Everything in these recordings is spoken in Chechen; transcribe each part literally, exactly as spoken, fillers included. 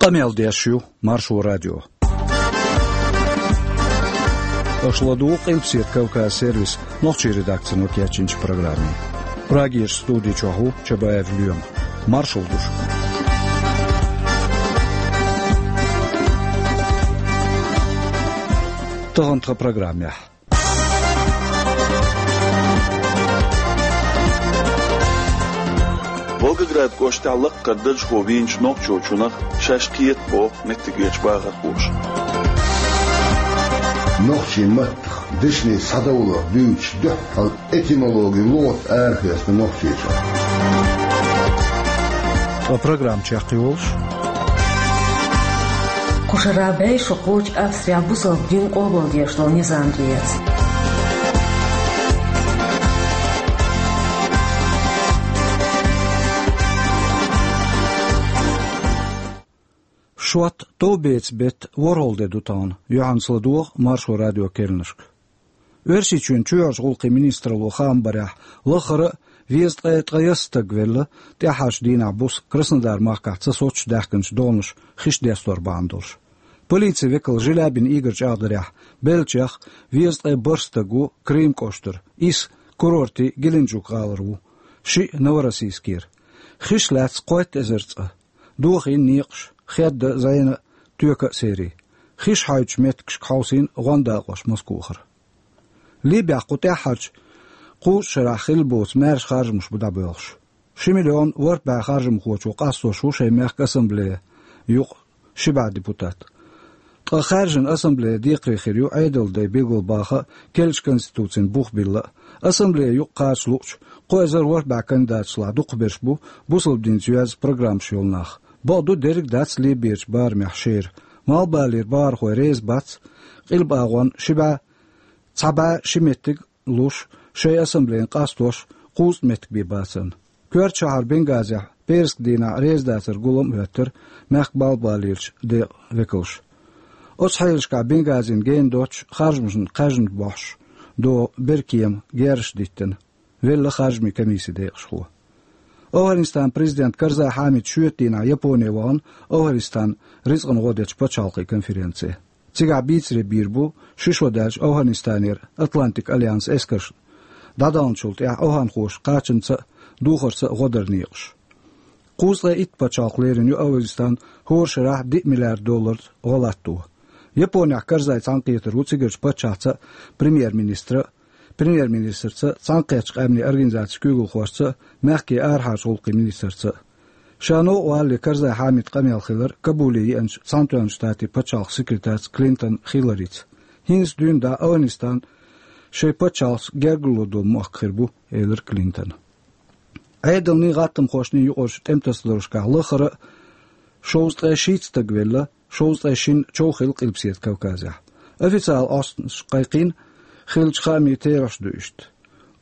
Къамел деш ю Маршо радио. Аша ладугӀу Къилбаседа Кавказ сервисан нохчийн редакцино кечйинчу программе. Прагерчу студи чохь ву Чабаев Лоьма. Маршалла ду шуьга. Тахана тхан программехь. Волгоград кӀоштахь лаккхара даржхо вийначу нохчочунах шаьш кхета боху меттигерчу бахархоша. Нохчийн маттах, дешнийн схьадовларх дуьйцуш дуьххьал этимологи лугӀат арахецна Нохчийчохь. Ткъа программа чекхйолуш. Кху шарахь бӀе шо кхочу Австрехь бусалба дин къобалдеш долу низам тӀеэца. Шот товбецан беттан ворхӀалгӀа де ду тахана, юьхьанца ладогӀа Маршо радион керланашка. Оьрсийчоьнан чоьхьарчу гӀуллакхийн министралло хаам барехь, лаххара а везткъе ткъаясна стаг велла, тӀаьххьарчу дийнахь буса Краснодар-махкахь ца соцуш даьхкинчу догӀанаш хиш дестор бахьана долуш. Полицин векал Желябин Игорь чӀагӀдарехь, беллачех везткъе бархӀ стаг ву Крым кӀоштара, исс курортан Геленджик-гӀалара ву, шиъ Новороссийскера. Хиш лаьцна кхойтта эзар цӀа. Дохийна некъаш, хедда а, зӀена а, тоька а серий. Хиш хьоьдучу меттигашка хьовсийна гӀондакъош Москвахара. Ливехь кху тӀаьххьарчу кхузткъа шарахь хилла боцу маьрша харжамаш бу дӀабоьлхуш. Ши миллион ворхӀ бӀе харжамхочо къастош ву шайн мехкан ассамблея юкъа ши бӀе депутат. Ткъа хаьржина ассамблея декхаре хир ю Ӏедалан дай билгалбаха а, керлачу конституцина бух билла а. Ассамблея юкъа кхача луучу кхо эзар ворхӀ бӀе кандидатлахь дукхахберш бу бусалба динца йоьзна программаш йолу нах. Бакъду, дерриг а дац Ливерчу барамехь шера. Малхбалера бахархой реза бац Къилба агӀонна ши бӀе, цхьа бӀе ши меттиг луш, шайн ассамблейна къастош кхузткъа меттиг бен бацарна. Коьртачу шахьар Бенгазехь пӀераскан дийнахь резадацаран гулам а хӀоьттира мехкан малхбалерчу декъан векалша. Оцу хьелашкахь Бенгазина гена доццуш харжамашна кхаьжна бохьуш догӀу беркема герзаш диттина, велла харжамийн комиссин декъашхо. ОвхӀанистанан президент Карзай Хьамид шоьтан дийнахь Японе вахана, ОвхӀанистан рицкъана гӀо дечу пачхьалкхийн конференце. Цигахь бийцаре бийр бу ши шо даьлча ОвхӀанистанера Атлантикан альянсан эскарш дӀадаханчул тӀаьхьа овхӀанхоша кхачанца а, духарца а гӀо даран некъаш. Кхузткъе итт пачхьалкх лерина ю ОвхӀанистан хӀора шарахь диъ миллиард долларца гӀо латто. Японехь Карзай цхьаьнакхетар ву цигарчу паччахьца а, премьер-министра а, премьер-министрца а, Цхьаьнакхеттачу къаьмнийн организацин куьйгалхошца а, мехкан арахьарчу гӀуллакхийн министрца а. Ша новкъа валале Карзай Хьамидан къамел хилар Кабуле еанчу Цхьаьнатоьхначу Штатийн пачхьалкхан секретарца Клинтон Хилларица. ХӀинца дуьйна дӀа ОвхӀанистан шайн пачхьалкхаца гергарло долу мохк хир бу, элира Клинтона. Ӏедалний, гӀаттамхошний юкъарчу тӀематасадаларшкахь лаххара а шовзткъе шийтта стаг велла, шовзткъе шина чов хилла Къилбаседа Кавказехь. Официалан Ӏостанаш кхайкхийна хиллачу хаамийн терахьаш ду иштта.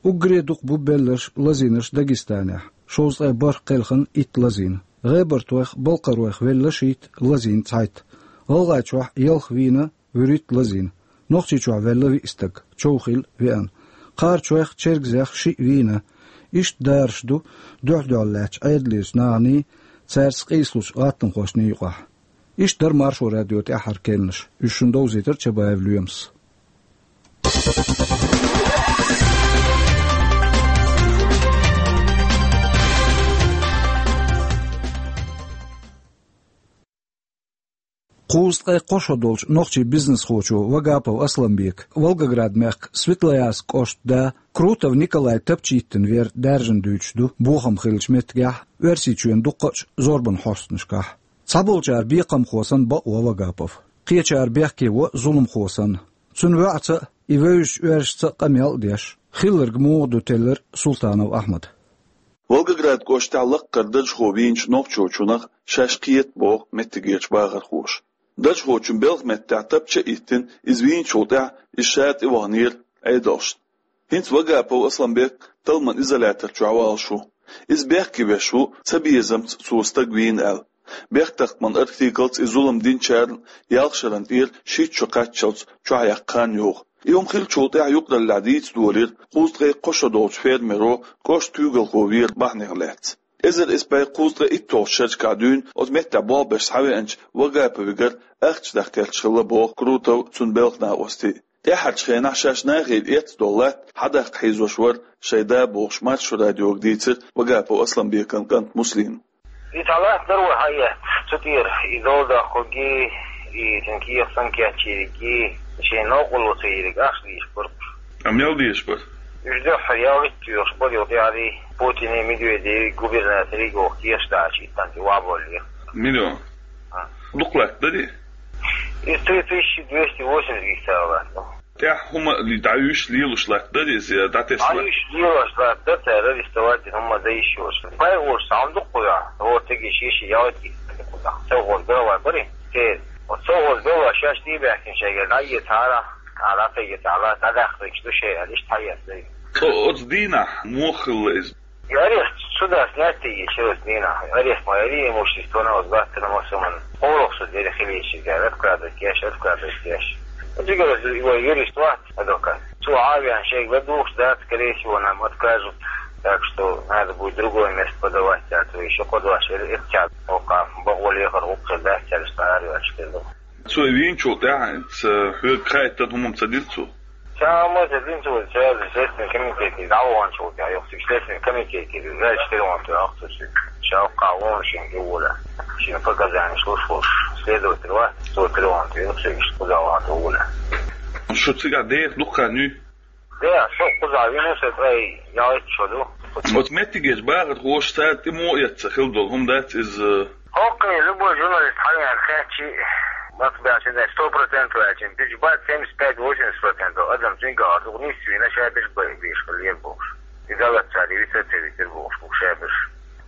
Уггаре дукха бу белларш, лазийнарш Дагестанехь, шовзткъе бархӀ кхелхина, итт лазийна. ГӀебартойх, балкхаройх велла шийтта, лазийна цхьайтта. ГӀалгӀайчохь ялх вийна, вуьрхӀитта лазийна. Нохчийчохь велла виъ стаг, чов хилла веана. Кхарачойх, чергазех шиъ вийна. Иштта дараш ду дуьхь-дуьхьал лаьттачу Ӏедалерчу наханий, цаьрца къийсалучу гӀаттамхошний юкъахь. Иштта дара Маршо радион тӀаьххьара керланаш. Уьш шуна довзийтира Чабаев Лоьмас. Кхузткъе кхо шо долчу нохчийн бизнесхочо Вагапов Асламбека, Волгоград-мехкан Светлоярск кӀоштан да Крутов Николай тапча йиттина вер даьржина дуьйцуш ду бохам хиллачу меттигехь, Оьрсийчоьнан дуккхачу зорбанан хьостанашкахь. Цхьаболчара бекхамхо санна бакъ во Вагапов, кхечара бехке во зуламхо санна. Цуьнан воьӀаца а, и вевзачу оьрсашца а къамел а деш, хилларг муха ду теллира Султанов Ахьмада. Волгоград кӀоштахь лаккхара даржхо вийначу нохчочунах шаьш кхета боху меттигерчу бахархоша. Даржхочун белхан меттехь тапча а йиттина, иза вийначул тӀаьхьа иза ша тӀеваханера Ӏедалшна. ХӀинца Вагапов Асламбек талламан изолятор чохь валуш ву. Иза бехке веш ву, цабезамца цо стаг вийна аьлла. Бехктакхаман артиклца и зулам динчарна ялх шарна тӀера шийтта шо кхаччалц чохь яьккха хан йогӀу. И хӀума хиллачул тӀаьхьа юкъараллехь дийца долийра кхузткъе кхо шо долчу фермеро кӀоштан куьйгалхо вер бахьанех лаьцна. Эзар исс бӀе кхузткъе итталгӀачу шерашкахь дуьйна оцу меттехь болх беш схьавеанчу Вагаповгара ахча даккха кхаьчна хилла боху Крутов, цуьнан белхан накъостий. ТӀаьххьарчу хенахь шаьш нахера эцна долу латта хьадаккха хьийзош вара шайн да бохуш, Маршо радиога дийцира Вагапов Асланбекан кӀанта Муслима. И цхьа латта дара вай хьаэцна, цу тӀера и дола доккхург, и цуьнан кехат санна кечйийриг, и шайн новкъарло ца йийриг ахча дезаш бара уьш. А мел дезаш бара? Уьш дуьххьара ялхитта тоьхуш бара, юха тӀаьхьарий Путиний, Медведевий, губернаторий гӀо кехаш дӀачу иттанна тӀе вахьаболлера. Миллион? А. Дукха латта дарий? Из три тысячи двести восемьдесят гектар латта. ТӀаьхьа хӀума дӀаюьйш лелош латта дара иза, я дӀатесна? ДӀаюьйш лелош латта дара, цара арестовать дина хӀума дӀаюьйш йолуш. Пайхамарш цхьа хӀума дукха хуьйхьа, хӀора тегиш йиш ялхитта хуьйхьа. Совхоз белла бара и, церан. Оцу совхоз белла шаьш тӀе а баьхкина шайгара дӀаэцахьара, а, дӀатегийтахьара, дӀадаккхаргаш ду шайн аьлла, иштта хьаэцна. Ткъа оцу дийнахь муха хилла иза? И арест, суда снять йича оцу дийнахь. Арест ма яри, имущество на озгаттана массаман. КхоалгӀа суда яри хилийча, откладывать еш, откладывать еш. Цигара вай юрист вац, адвокат. Цо Ӏавеана шайга ладугӀуш дац, скорее всего, нам откажут. Так что надо будет другое место подавать, а то ещё кхо дош эр-, эрча, оха бакъо лехар гӀуллакх дац, цаьрца араяьллаш хир ду. Цо вийначул тӀаьхьа ца хьоьга хаийтина хӀума ца дира цо? Ца хӀума ца дина цо, ца Следственный комитете дӀаваханчул тӀаьхьа, юха цига Следственный комитете, знаете, четыре он тӀе ахча цига. Ша кхаъ вон шен тӀе вола. Шен показания луш волуш следователь вац, цо тӀе вон тӀе, юха цига кхуза ван тӀе вола. Шу цигахь деха дукха хан юй? Да, со кхузахь вина, со ткъе ялхитта шо ду. Оцу меттигерчу бахархоша цара тӀе муха эцна хилла долу хӀума дац иза? ХӀокху любой журналист хьавеана хаьттича, мацбаьлча, сто процентов аьлча, бич бац, семьдесят пять-восемьдесят процентов адам цуьнга гӀар ду, нийса вийна, шаберш беш хилла лера бохуш. И далац цара, и вица а ца витира бохуш, бу шаберш.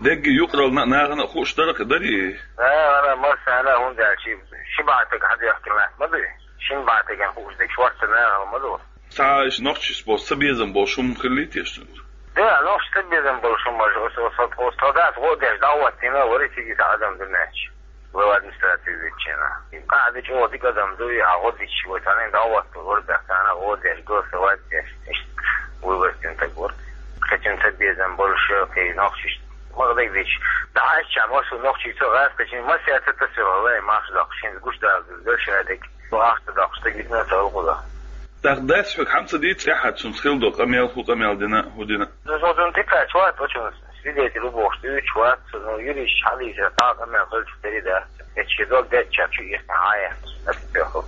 Дегги юкъарална а, нахана а хууш дара-кх, дарий? Нахана а, массарна а, хӀунда аьлча ши бӀе стаг хьадоьхкина латта ма ду. Шина бӀе стагана хууш дерг шортта нахана ма ду. Цхьа иштта нохчашца боху цабезам болуш хӀума хиллий теша цуьнца? Да, нохчашца цабезам болуш хӀума, оцу, оцу, оцу, оцу солдаташа гӀо а деш дӀахӀоттийна, вара цига цхьа адам дуьнен чу. Глава администрации виччина. И къахьа дича оха дика адам ду, и хьан гӀо дича, вай цхьанна дӀахӀотто, вара бехк царна гӀо а деш, голосовать а деш, иштта выборочный стаг вара. Кхечуьнца цабезам болуш, кхин нохчашца. Ма дагадича, дӀахьаьжча, массо а нохчий цо гӀазкхичийн массаьрца тасавелла, вай марша доккхуш, хӀинца гуш дала деза, шадерг. Ахча доккхуш стаг витина ца вукхуза. ТӀаккха дас хьоьга хьан ца дийца тӀаьххьара цуьнца хилла долу къамел, хӀун къамел дина, хӀун дина? Ну, со цунна тӀекхача вац, оцунна свидетель ву бохуш дуьйцуш вац, ну, юристаш хьалийцира, кхаа къамел хилча дерриг дац. Эцча дог деттачара чу иртина хьан яц, аса тӀехула.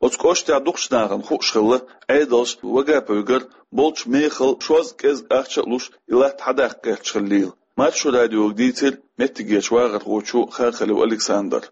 Оцу кӀоштехь дукхачу нахана хууш хилла, Ӏедалша Вагаповгара болчу мехала шозза кӀезга ахча а луш, и латта хьадаккха гӀерташ хиллийла. Маршо радиога дийцира меттигерчу вахархочо Хархалев Александра.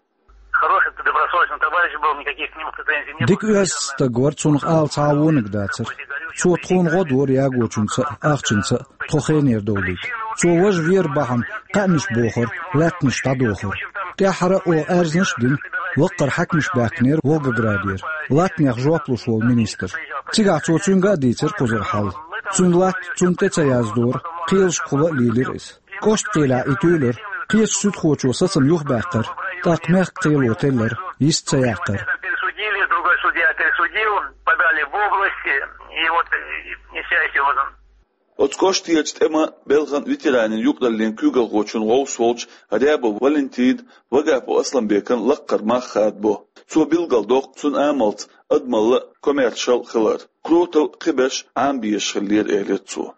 Хороший, добросовестный товарищ был, никаких к нему претензий не было. Дика оьзда стаг вара, цунах ала цхьа а вониг дацара. Цо тхуна гӀо дора ягочуьнца а, ахчанца а тхо хенера довлийта. Цо важа вер бахьана кхаьънаш бохура, лаьттанаш дӀадохура. ТӀаьххьара а оха аьрзнаш а дина, лаккхара хьаькамаш баьхкинера Волгоградера, латтанех жоп луш волу министр. Цигахь цо цуьнга а дийцира кхузара хьал. Цуьнан латта цунна тӀе ца яздора, кхелашкахула а лелира иза. КӀоштан кхелехь и туьйлира, кхечу суьдхочо сацам юхабаьккхира, тӀаккха мехкан кхело теллира, йист ца яккхира. Пересудили, другой судья пересудил, подали в область, и вот, и, и вся эта вот. Оцу кӀоштарчу тӀеман, белхан, ветеранийн юкъараллин куьйгалхочун гӀовс волчу Рябов Валентина Вагапов Асланбекан лаккхара мах хадабо. Цо билгалдоккху цуьнан амалца адамалла а, коммершал а хилар. Крутов кхиберш Ӏамабезаш хиллера, элира цо.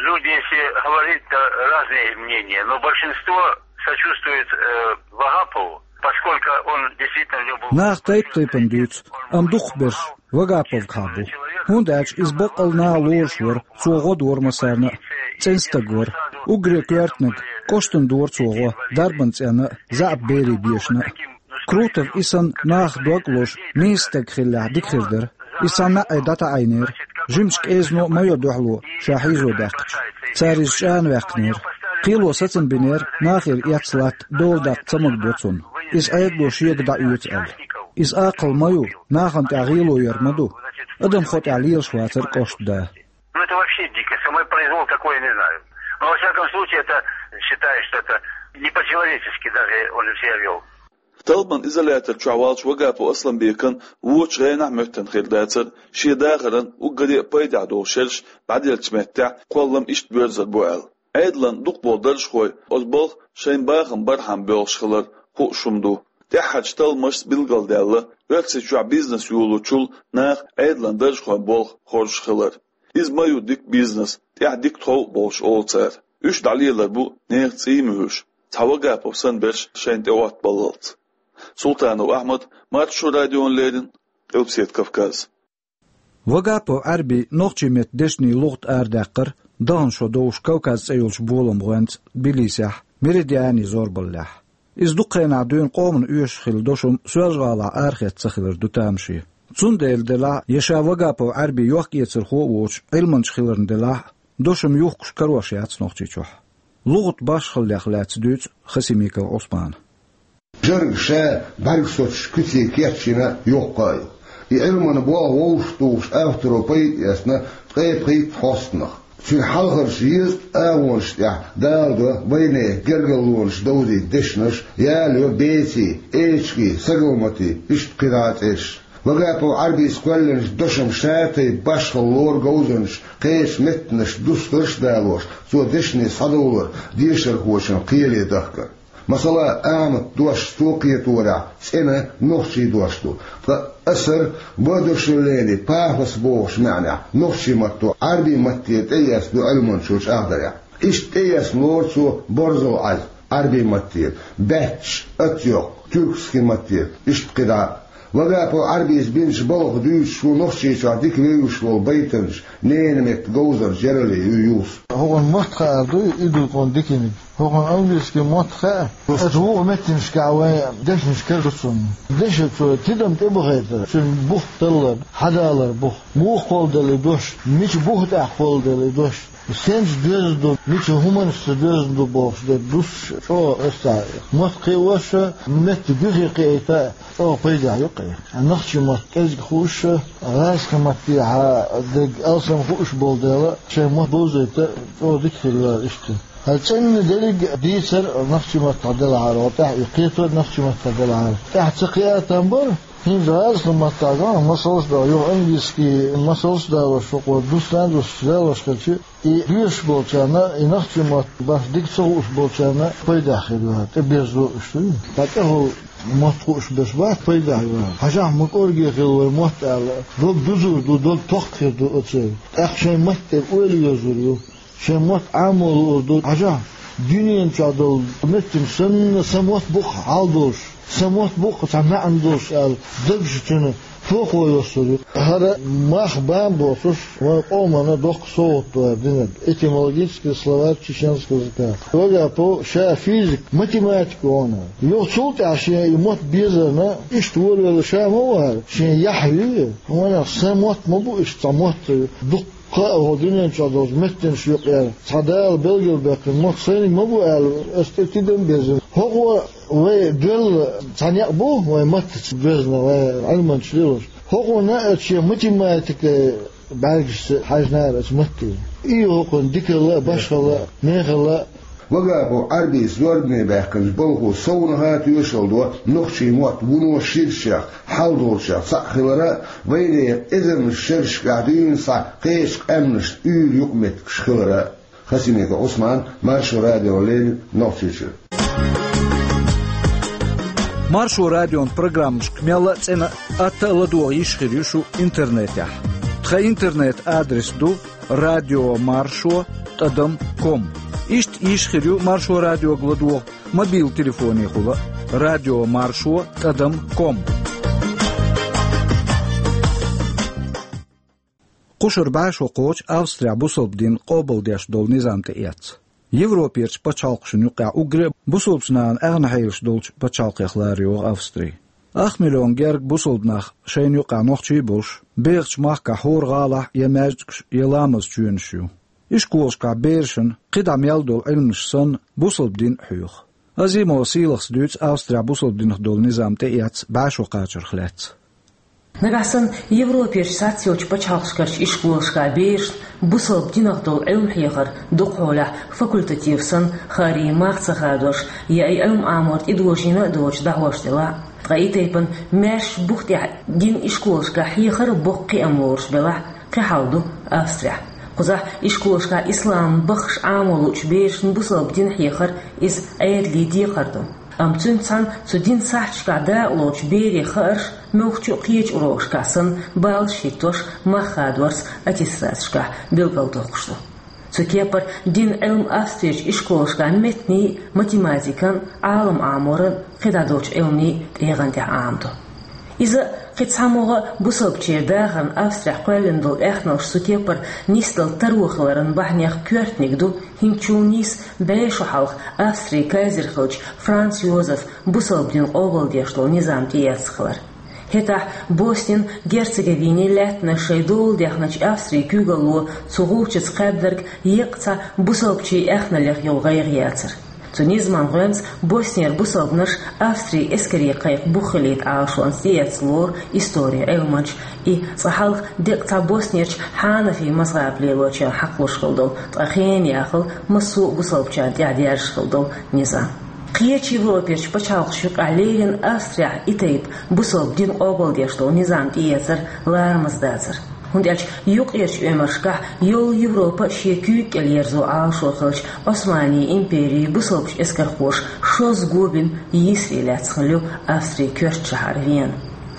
Люди, если говорить, то разные мнения, но большинство сочувствует, э, Вагапову, поскольку он действительно в нём был. Наха тайп-тайпана дуьйцу, амма дукхахберш Вагаповгахьа бу. ХӀунда аьлча иза баккъал наха лоруш вара, цо гӀо дора массарна а, цӀена стаг вара. Уггаре коьртаниг, кӀоштана дора цо гӀо, дарбан цӀенна а, заьӀап берийн бешана а. Крутов и санна наха дог лозуш, нийса стаг хиллехь, дика хир дара. Иза цхьана наӀе дӀатаӀийнера, жимачу кӀезано а майо дуьхьало ша хьийзо даьккхича. Цара иза чӀанаваьккхинера. Кхело сацам бинера, нахера эцна латта дола даккха ца магадо цунна. Иза Ӏедало шега дӀаоьцу аьлла. Иза акхал ма ю, нахана тӀехь гӀело яр ма ду. Адамхо тӀехь лелаш вацара кӀоштан да. Ну, это вообще дико. Самопроизвол такой, я не знаю. Но, во всяком случае, это считаю, что это не по-человечески даже он себя вёл. Талламан изолятор чохь волчу Вагапов Асланбекан вочу гӀенах а моьттина хир дацара, шен дахаран уггаре а пайдехь долу шераш дӀаделлачу меттехь кхоллам иштта боьрзур бу аьлла. Ӏедалан дукхаболу даржхой оцу балха шайн бахам бархьама боьлхуш хилар хууш хӀума ду. ТӀаьххьарчу талламашца билгалдаьлла, Оьрсийчохь бизнес йолочул наха Ӏедалан даржхойн болх хоржуш хилар. Иза ма ю дика бизнес, тӀехь дика тхов а болуш, олу цара. Уьш дӀалелар бу нехан цӀий а муьйлуш, цхьа Вагапов санна берш шайна тӀеоттабаллалц. Султанов Ахьмад, Маршо радиона леррина, Къилбаседа Кавказ. Вагапов Ӏаьрбин нохчийн меттан дешнийн лугӀат арадаьккхира, дахана шо довш Кавказ цӀе йолчу боламан гӀоьнца Тбилисехь, Меридианин зорбаллехь. Иза дукха хенахь дуьйна къомана оьшуш хилла дошам Соьлжа-ГӀалахь арахецна ца хилар ду тамаше. Цундела делахь а, я ша Вагапов Ӏаьрбин йохк-эцархо а воцуш, Ӏилманча хиларна делахь а, дошам юхкуш карош яц Нохчийчохь. ЛугӀат башхаллех лаьцна дуьйцу Хасимиков Ӏусмана. Жург ша бӀаьргсоцучу куьце кечйина йоккха а ю. И Ӏилманан болх вовшахтухуш авторо пайда эцна ткъе пхийтта хьостанах. Цуьнан хьалхарчу езткъа агӀонаш тӀехь даладо вайнехан гергарлонаш довзийта дешнаш, ялайо бецийн, эчиган, сагалматийн, иштта кхидӀа а цӀераш. Вагапов Ӏаьрбис кхоьллинчу дошам ша тайпа башхалла лору говзанчаша, кхечу меттанашца дустарш а далош, цо дешне схьадовлар дешархочун кхеле дахкар. Масала, Ахьмадан дош цо кхеторехь цӀена нохчийн дош ду, ткъа асар, воодушевление, пафос бохучу маьӀнехь, нохчийн матто Ӏаьрбийн матте тӀеэцна ду Ӏилманчо чӀагӀдарехь. Иштта тӀеэцна лору цо борзал Ӏаьз Ӏаьрбийн матте, баьчча, атйоккха, тюркский матте, иштта кхидӀа а. Вагапов Ӏаьрбис бинчу балхах дуьйцуш ву Нохчийчохь дика вевзаш волу байтанча, ненан меттан говзанча Яралиев Юсуп. ХӀокхуьнан мотт хаар дуй, и ду тхуна диканиг. ХӀокхуьнан английский мотт хаьа. Аса вукху меттанашкахь вайн дешнаш кара ду цунна. Дешан цо тидам тӀебахийтар, цуьнан бух таллар, хьадалар бух. Муха кхолладелла и дош, мича бух тӀехь кхолладелла и дош, сенца доьзна ду, мича хӀуманашца доьзна ду бохуш дерг дуссуш, чӀогӀа аса цхьа мотт кхиош а, меттан буьхе кхиийта а, чӀогӀа пайдехь ю кхин. Нохчийн мотт кӀезиг хууш а, гӀазкхийн маттехьа дерг алсам хууш болу дела, шайн мотт бовзийта чӀогӀа дика хир ю иштта. ХӀара цӀена дерриг а дийцар нохчийн маттахь делахьара, тӀехь и кхетор нохчийн маттахь делахьара. ТӀехь ца кхиа там бара, хӀинца гӀазкхийн маттахь ган масалш а далош, юха английский масалш а далош, хӀокхо дустан а дуссуш далош хилча, и доьшуш болчарна, и нохчийн мотт баш дика ца хууш болчарна пайдехь хир ю, тӀеберзо уьш дуй. Ткъа тӀехула мотт хууш берш бац пайдехь ю. Хьажахь, ма кӀорге хила вай мотт аьлла, дог дузур ду, дог тохка хир ду оцу. ТӀаккха шайн матте ойла йозур ю. Шайн мотт Ӏамо луур ду. Хьажахь, дуьнен чохь долу меттанаш санна, сан мотт бу-кх хьал долуш, сан мотт бу-кх цхьа маьӀна долуш аьлла, дагчу цуьнан тохо йоссур ю. ХӀара мах бан боцуш, вайн къомана доккха совгӀат ду хӀара динарг. Этимологический словарь чеченского языка. Вагапов ша физик, математик ву хьуна. Юха цул тӀаьхьа шен и мотт безарна, иштта волавелла ша ма ву хӀара, шен яхь ю и. Ванах, сан мотт ма бу иштта цхьа мотт, дуккха Кхаа хӀокху дуьнен чохь долчу меттанаш юкъара цхьа Дала белгалбаьккхина мотт сайниг ма бу аьлла, ас тӀе тидам безна. ХӀокхо вай доьлла цхьа некъ бу, вай маттаца доьзна, вай Ӏилманчаш лелош. ХӀокхунна а шен математикан бӀаьргашца хьаьжнара аса матте. И ю хӀокхунна дикалла а, башхалла а, мехалла а. Вагапов Ӏарбис зорбане баьккхинчу балхо совнаха тоьшалла до нохчийн мотт вуно ширачех, хьал долчех цхьаъ хилара а, вайнехан эзарнаш шерашкахь дуьйна схьа кхечу къаьмнашна уьйр юкъаметтигаш хилара а. Хасимиков Ӏусман, Маршо радиона леррина, Нохчийчуьра. Маршо радион программашка мелла а цӀена а, атта а ладогӀа йиш хир ю шу интернетехь. Тхан интернет-адрес ду радио маршо тӀадам ком. Иштта йиш хир ю Маршо радиога ладогӀа мобил телефонехула а, радио маршо тӀадам ком. Кхушара бӀе шо кхочу Австрехь бусалба дин къобалдеш долу низам тӀеэцна. Европерчу пачхьалкхашна юкъахь уггаре а бусалбачу нахана аьхна хьелаш долчу пачхьалкхех лара йогӀу Австри. Ах миллион герга бусалба нах, шайна юкъахь нохчий а болуш, бехачу махкахь хӀора гӀалахь я маьждигаш, я ламаз чоьнаш ю. Ишколашкахь берашна кхидӀа мел долу Ӏилманаш санна, бусалба дин а хьоьху. Азимова Сийлахас дуьйцу Австрехь бусалба динах долу низам тӀеэцна бӀе шо кхачарх лаьцна. Нагахь санна Европерчу цхьацца йолчу пачхьалкхашкарчу ишколашкахь берашна бусалба динах долу Ӏилма хьехар дукхахьолехь факультатив санна, хӀара мах ца хадош, я и Ӏилма Ӏамор тӀедожийна а доцуш, дӀахьош делахь а. Ткъа и тайпана маьршачу бух тӀехь дин ишколашкахь хьехар а боккха кхиам лоруш белахь а, кхин хьал ду Австрехь. Кхузахь ишколашкахь ислам баххаш Ӏамо луучу берашна бусалба дин хьехар иза Ӏедалан декхар ду. Амма цуьнца цхьаьна цу динан сахьташкахь дакъалоцучу берийн хаарш муьлххачу а кхечу урокашкахь санна баллаш хӀиттош, мах хадорца аттестаташкахь билгалдоккхуш ду. Цу кепара динан Ӏилма Австрерчу ишколашкахь меттанийн а, математикан а, Ӏалам Ӏаморан а, кхидӀа долчу Ӏилманийн а тӀегӀан тӀехь Ӏамадо. Иза а, кхин цхьа могӀа а бусалбачеран дахарна Австрехь кхоьллина долу аьхналш цу кепара нисдала таро хиларан бахьанех коьртаниг ду, хӀинцачул нийса бӀе шо хьалха Австрин кайзер хиллачу Франц Йозефа бусалба дин къобалдеш долу низам тӀеэцна хилар. ХӀетахь Боснин а, Герцеговинин а лаьттанаш шайн дола даьхначу Австрин куьйгалло цу гӀулчаца кхаьбнарг еккъа цхьа бусалбачийн аьхналлех йолу гӀайгӀа яцара. Цу низаман гӀоьнца Боснера бусалбанаш Австрин эскарийн кхайкха бух хилийта Ӏалашонца тӀеэцна лору историн Ӏилманчаша, и цкъа хьалха деккъа цхьа Боснерчу хьанафи мазхӀаб лелочарна хьакхалуш хилла долу, ткъа хенан яхала массо а бусалбачарна тӀехь даьржаш хилла долу низам. Кхечу Европерчу пачхьалкхашна юкъахь леррина Австрехь и тайпа бусалба дин къобалдеш долу низам тӀеэцар ларамаза дацара. ХӀунда аьлча юккъерчу оьмаршкахь йолу Европа шен куьйга кӀел ерзо Ӏалашо хиллачу Ӏусманийн империн бусалбачу эскархоша шозза го бина йийсаре лаьцна хилла ю Австрин коьртачу шахьар Вена.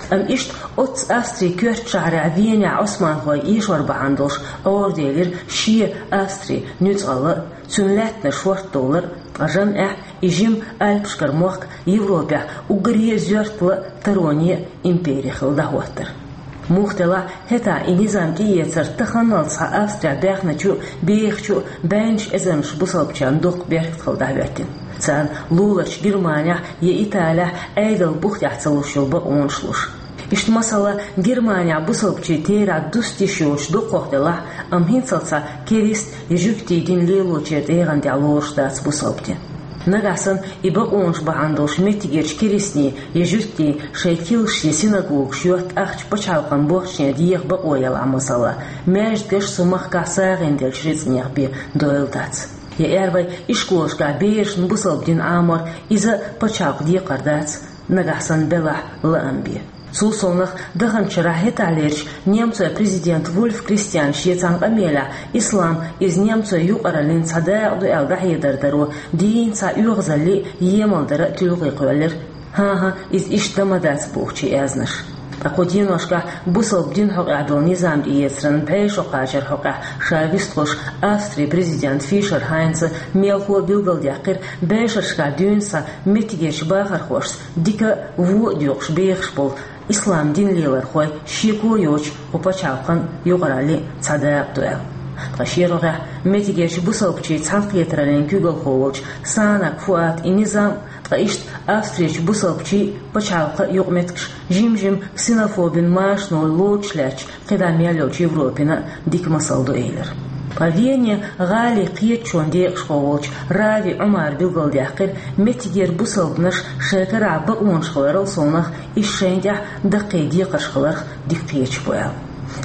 Амма иштта оццу Австрин коьртачу шахьарехь Венехь Ӏусманхой эшор бахьана долуш Ӏораделира шен Австрин нуьцкъала а, цуьнан лаьттанаш хӀоттадовлар а, ткъа жамӀехь и жима Альпашкара мохк Европехь уггаре а зоьртала а, тароне а импери хилла дӀахӀоттар. Муха делахь а, хӀетахь и низам тӀеэцар таханалц схьа Австрехь баьхначу а, бехачу а бӀеннаш эзарнаш бусалбачарна доккха беркат хилла дӀахӀоьттина. Царна луларчу Германехь я Италехь Ӏедалан бух тӀехь ца луш йолу бакъонаш луш. Иштта, масала, Германехь бусалбачийн терахь дуста йиш йоцуш дукхах делахь а, амма хӀинццалц схьа керист я жуьгтийн дин лелочеран тӀегӀан тӀехь лоруш дац бусалба дин. Нагахь санна и бакъонаш бахьана долуш меттигерчу керистийн я жуьгтийн шайн килсаш я синагогаш йотта ахча пачхьалкхан бохчане деха бакъо ялахь, масала, маьждигаш цу махкахь сагӀина деллачу рицкъанех бен дойла дац. Я аьлла вай, ишколашкахь берашна бусалба дин Ӏамор иза а пачхьалкхан декхар дац, нагахь санна белахь лаам бен. Цул совнаха, даханчу шарахь хӀетахьлерчу немцойн президента Вульф Кристиана шен цхьана къамелехь ислам иза немцойн юкъараллин цхьа дакъа ду аьлла дӀахьедар даро дийна цхьа оьгӀазалле а, емалдара а туьлгӀе кхоьллира. ХӀан-хӀа, иза иштта дан ма дац бохучу аьзнаш. Ткъа кху деношкахь бусалба динан хьокъехь долу низам тӀеэцаран бӀе шо кхачаран хьокъехь ша вистхуьлуш Австрин президента Фишер Хайнца мелхо а билгалдаьккхира, бӀешерашкахь дуьйна схьа меттигерчу бахархошца дика а, вон а доькъуш бехаш болу ислам дин лелорхой шеко а йоцуш кху пачхьалкхан юкъараллин цхьа дакъа ду аьлла. Ткъа шен рогӀехь меттигерчу бусалбачийн цхьаьнакхетараллин куьйгалхо волчу Санак Фуата и низам, ткъа иштта Австрерчу бусалбачийн а, пачхьалкхан а юкъаметтигаш жим-жима ксенофобин машано лоцуш лаьтташ кхидӀа мел йолчу Европина а дика масал ду элира. Ткъа Венин гӀалин кхеташонан декъашхо волчу Рави Ӏумара билгалдаьккхира, меттигера бусалбанаш шайн карахь бакъонаш хиларал совнаха, иза шайна тӀехь даккхий декхарш хиларх дика кхеташ бу аьлла.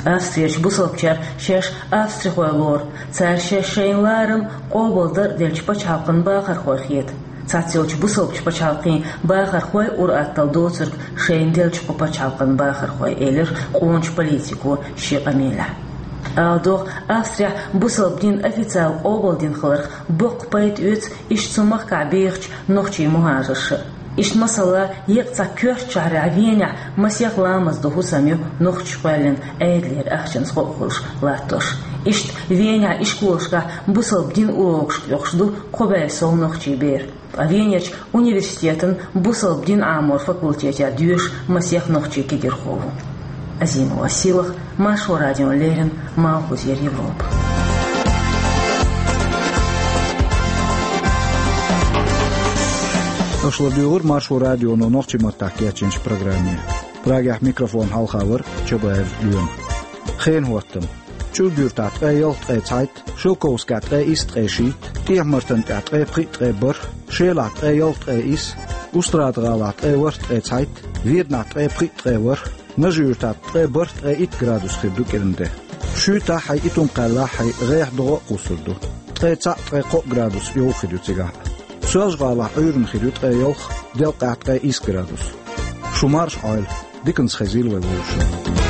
Австрерчу бусалбачаьрга шаьш австрихой лору, цара шаьш шайна ларам а, къобалдар а деллачу пачхьалкхан бахархой хета. Цхьаццайолчу бусалбачу пачхьалкхийн бахархой а ур-атталла доцург шайна деллачу кху пачхьалкхан бахархой, элира къоначу политико шен къамелехь. Ала догӀу, Австрехь бусалба дин официал къобалдина хиларх боккха пайда оьцу иштта цу махкахь бехачу нохчийн мухӀажарша. Иштта, масала, еккъа цхьа коьртачу шахьарехь Венехь масех ламаз дан хӀусам ю нохчаша кхоьллина Ӏедалера ахчанца гӀо а хуьлуш латтош. Иштта Венехь ишколашкахь бусалба динан урокашка оьхуш ду кхо бӀе сов нохчийн бер. Ткъа Венерчу университетан бусалба дин Ӏаморан факультетехь доьшу масех нохчийн кегирхо ву. Азимова Сийлаха, Маршо радиона леррина, Малхбузера Европа. Аша ладуьйгӀира Маршо радионо нохчийн маттахь кечйинчу программе. Прагехь микрофон хьалха вара Чабаев Лоьма. Хенан хӀоттам. ЧӀулга юьртахь ткъе ялх ткъе цхьайтта, Шелковскехь ткъе исс ткъе шийтта, ТӀехьа-Мартан тӀехь ткъе пхиъ ткъе бархӀ, Шелахь ткъе ялх ткъе исс, Устрада-ГӀалахь ткъе ворхӀ ткъе цхьайтта, Веданахь ткъе пхиъ ткъе ворхӀ, Нажи-Юьртахь ткъе бархӀ ткъе итт градус хир ду кӀиран де. Шуьйтахь а, Итум-Кхаьллахь а гӀеххьа догӀа а кхуссур ду. Ткъе цхьаъ ткъе кхоъ градус йовха хир ю цигахь. Соьлжа-ГӀалахь Ӏуьйранна хир ю ткъе ялх, делкъехь ткъе исс градус. Шу марша Ӏойла, диканца хезийла вай вовшашна.